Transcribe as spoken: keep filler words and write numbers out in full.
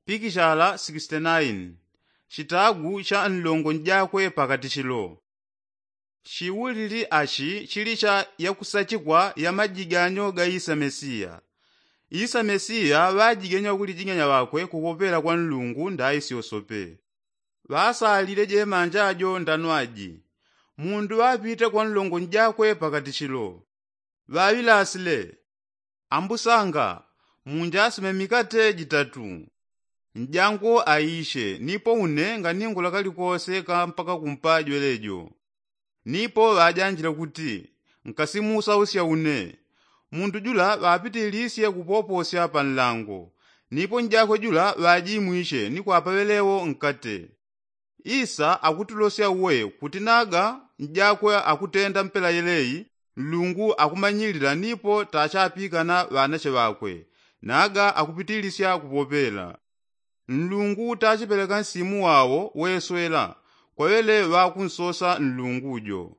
Pikishala sikisitenaini. Chitagu cha nlongo njakwe pakatichilo. Chiulili achi chili cha yakusachikwa ya majiganyo ga isa mesiya. Isa mesiya ŵajigenya wakulijigenya ŵakwe kupopela kwa nlungu ndaisyosope. Ŵasalile jemanja jo ndanwaji. Mundu ŵapite kwa nlongo njakwe pakatichilo. Ŵaŵilasile, ambusanga, munjasime mikate jitatu. Njangu aishe nipo une nganingula kalikose kampaka kumpa jwelejo. Nipo ŵajanjile kuti, nkasimusausya une. Mundu jula ŵapitilisye kupoposya pa nlango. Nipo njakwe jula ŵajimwishe ni kwapaŵelewo nkate. Isa akutulosya uwe kuti naga njakwe akutenda mpela yeleyi, nlungu akumanyilila nipo tachapikana ŵanache ŵakwe. Naga akupitilisya kupopela. Nlungu tachipeleka nsimu wawo weswela. Kwaŵele ŵakunsosa nlungu jo.